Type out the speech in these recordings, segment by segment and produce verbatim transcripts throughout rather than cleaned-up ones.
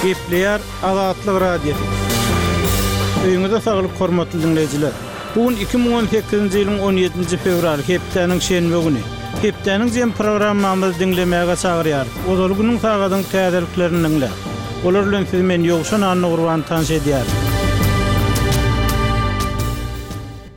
Gepleýär Azatlyk Radiosy. Öýüňize saglyk hormatly diňleýjiler. Bu gün iki müň on sekizinji ýylyň on ýedinji fewraly, hepdäniň şenbe güni. Hepdäniň jem programmamyzy diňlemäge çagyrýarys. Ozaly günüň sagadyň täzeliklerini diňläň. Olar bilen sizi men Ýowşan Annagurban tanyş edýärin.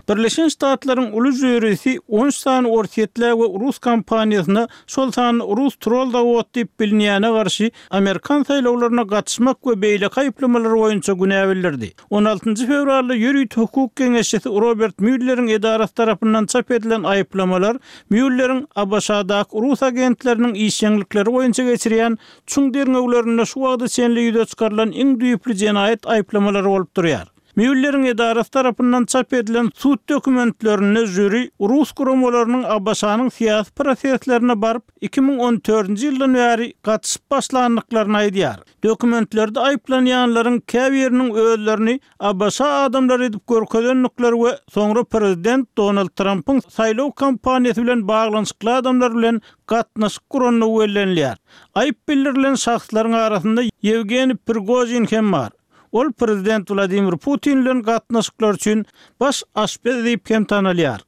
Birleşen Ştatlaryň uly jüýrisi on sany Orsýetli we Rus kompaniýasyna, şol sany Rus troll zawod diýip bilinýäne garşy Amerikan saýlawlaryna gatyşmak we beýleki aýyplamalar boýunça günä bildirdi. On altynjy fewralda ýörite hukuk geňeşçisi Robert Mülleriň edarasy tarapyndan çap edilen aýyplamalar Mülleriň A B Ş-daky rus agentleriniň işjeňlikleri boýunça geçirýän çuň derňewlerinde şu wagta çenli ýüze çykarylan iň düýpli jenaýat aýyplamalary bolup durýar. Mülleriň edarasy tarapyndan çap edilen sud dokumentlerinde jüri rus guramalarynyň A B Ş-nyň syýasy proseslerine baryp iki müň on dördünji ýyldan bäri gatyşyp başlandyklaryny aýdýar. Dokumentlerde aýyplanýanlaryň käbiriniň özlerini A B Ş adamlary edip görkezendikleri we soňra prezident Donald Trumpyň saýlaw kampaniýasy bilen baglanyşykly adamlar bilen gatnaşyk gurandygy bellenilýär. Aýyp bildirilen şahslaryň arasynda Ýewgeniý Prigojin hem bar. Ol prezident Wladimir Putin bilen gatnaşyklar üçin baş aşpez diýip hem tanalýar.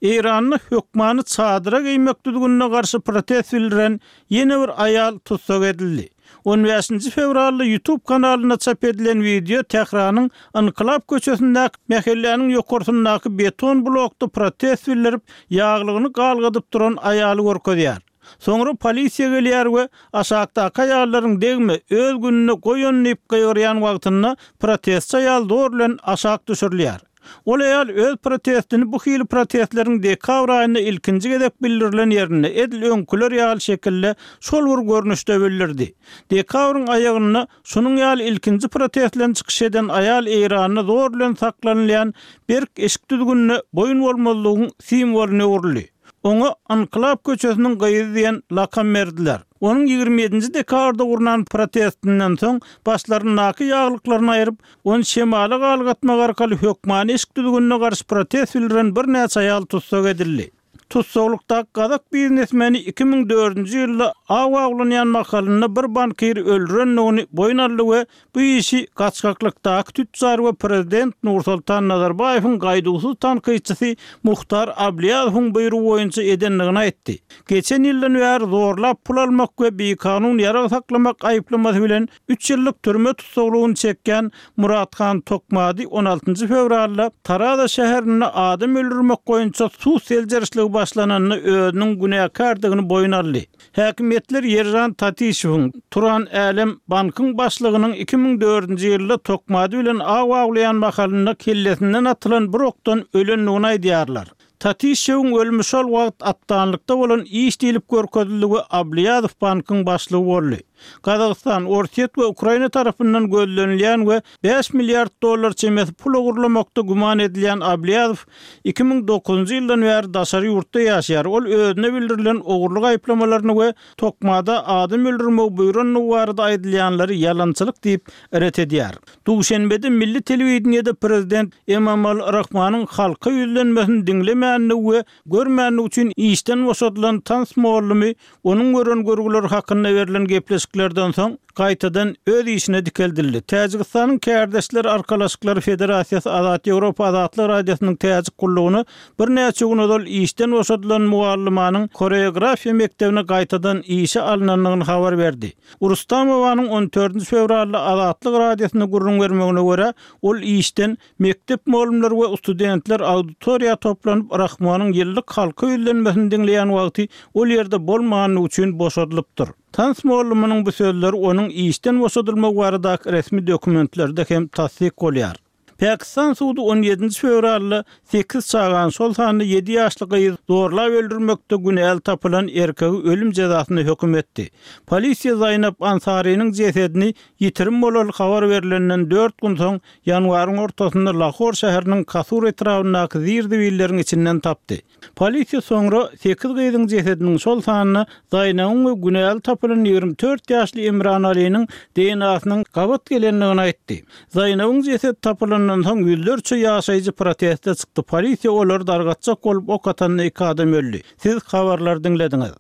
Eýranda hökmany çadyra geýmek düzgünine garşy protest bildiren ýene bir aýal tussag edildi. On bäşinji fewralda YouTube kanalynda çap edilen wideo Tähranyň Ynkylap köçesindäki mähelläniň ýokarsyndaky beton blokda protest bildirip, ýaglygyny galgadyp duran aýaly görkezýär. Soňra polisiýa gelýär we aşakdaky aýallaryň degme öz gününe goýun diýip gygyrýan wagtynda protestçi aýal zor bilen aşak düşürilýär. Ol aýal öz protestini bu hili protestleriň dekabr aýynda ilkinji gezek bildirilen ýerinde edil öňküler ýaly şekilde şol bir görnüşde bildirdi. Dekabryň aýagynda şunuň ýaly ilkinji protestlen çykyş eden aýal Eýranda zor bilen saklanylýan berk eşik düzgünine boýun bolmazlygyň simwolyna öwrüldi. Oňa Ynkylap köçesiniň gyzy diýen lakam berdiler. Onuň ýigrimi ýedinji dekabrda gurnan protestinden soň başlaryndaky ýaglyklaryny aýryp, ony şemala galgatmak arkaly hökmany eşik düzgünine garşy protest bildiren birnäçe aýal tussag edildi. Tussaglykdaky gazak biznesmeni iki müň dördünji ýylda aw awlanýan mahalynda bir bankiri öldürendigini boýun aldy we bu işi gaçgaklykdaky tütjar we prezident Nursultan Nazarbaýewiň gaýduwsyz tankytçysy Muhtar Abliýazowyň buýrugy boýunça edendigini aýtdy. Geçen ýyldan bäri zorlap pul almak we bikanun ýarag saklamak aýyplamasy bilen üç ýyllyk türme tussaglygyny çekýän Murathan Tokmady on altynjy fewralda Taraza şäherinde adam öldürmek boýunça sud seljerişligi başlananda özüniň günäkärdigini boýun aldy. Häkimiýetler Ýerjan Tatişewiň Turan Älem bankyň başlygynyň iki müň dördünji ýylda Tokmady bilen aw awlaýan mahalynda kellesinden atylan bir okdan ölendigini aýdýarlar. Tatişewiň ölümi şol wagt atdanlykda bolan iş diýlip görkezildi we Abliýazow bankyň başlygy boldy. Gazagystan, Orsýet we Ukraina tarapyndan gözlenilýän we bäş milliard dollar çemesi pul ogurlamakda güman edilýän Abliýazow iki müň dokuzynjy ýyldan bäri daşary ýurtda ýaşaýar. Ol özüne bildirilen ogurlyk aýyplamalaryny we Tokmada adam öldürmegi buýrandygy barada aýdylýanlary ýalançylyk diýip ret edýär. Duşenbede milli telewideniýede prezident Emomali Rahmanyň halka ýüzlenmesini diňlemänligi we görmänligi üçin işden boşadylan tans mugallymy onuň gören görgüleri hakynda berlen gepleşiklerden soň gaýtadan öz işine dikeldildi. Täjigistanyň Kärdeşler Arkalaşyklary Federasiýasy Azat Ýewropa Azatlyk Radiosynyň täjik gullugyna birnäçe gün ozal işden boşadylan mugallymanyň koreografiýa mektebine gaýtadan işe alynandygyny habar berdi. Rustamowanyň on dördünji fewralda Azatlyk Radiosyna gürrüň bermegine görä, ol işden mektep mugallymlary we studentler auditoriýa toplanyp Rahmanyň ýyllyk halka ýüzlenmesini diňleýän wagty ol ýerde bolmandygy üçin boşadylypdyr. Tans mugallymynyň bu sözleri onuň işden boşadylmagy baradaky resmi dokumentlerde hem tassyk bolýar. Pakistan sudy on ýedinji fewralda sekiz çagany, şol sanda ýedi ýaşly gyz zorlap öldürmekde günäli tapylan erkegi ölüm jezasyna höküm etdi. Polisiýa Zaýnab Ansarynyň jesedini ýitirim bolaly habar berilenden dört gün soň ýanwaryň ortasynda Lahor şäheriniň Kasur etrabyndaky zir-zibilleriň içinden tapdy. Polisiýa soňra sekiz gyzyň jesediniň şol sanda Zaýnabyň we günäli tapylan ýigrimi dört ýaşly Imran Aliniň D N A-synyň gabat gelendigini aýtdy. Zaýnabyň jesedi tapylandan soň ýüzlerçe ýaşaýjy proteste çykdy. Polisiýa olary dargatjak bolup ok atanda iki adam öldi. Siz habarlary diňlediňiz.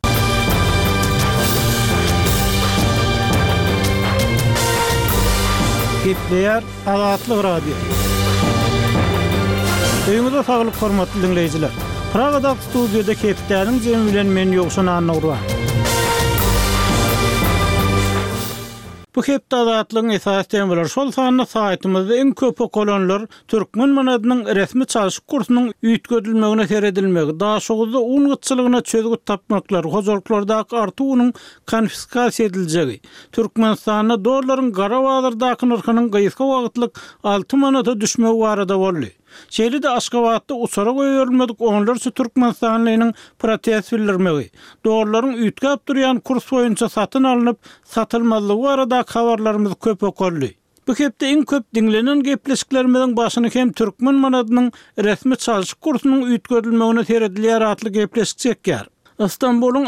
Gepleýär Azatlyk Radiosy. Öýüňize saglyk hormatly diňleýjiler. Pragadaky studiýada hepdäniň jemi bilen men Ýowşan Annagurban. Bu hepde Azatlygyň esasy temalary şol sanda saýtymyzda iň köp okalanlar türkmen manadynyň resmi çalşyk kursunyň üýtgedilmegine seredilmegi, Daşoguzda un gytçylygyna çözgüt tapmaklar, hojalyklardaky artyk unuň konfiskasiýa ediljegi, Türkmenistanda dollaryň gara bazardaky nyrhynyň gysga wagtlyk alty manata düşmegi barada boldy. Şeýle-de Aşgabatda uçara goýberilmedik onlarça türkmenistanlynyň protest bildirmegi, dollaryň üýtgäp durýan kurs boýunça satyn alnyp, satylmazlygy baradaky habarlarymyz köp okaldy. Bu hepde iň köp diňlenen gepleşiklerimiziň başyny hem türkmen manadynyň resmi çalşyk kursunyň üýtgedilmegine seredilýär atly gepleşik çekýär. Istanbulyň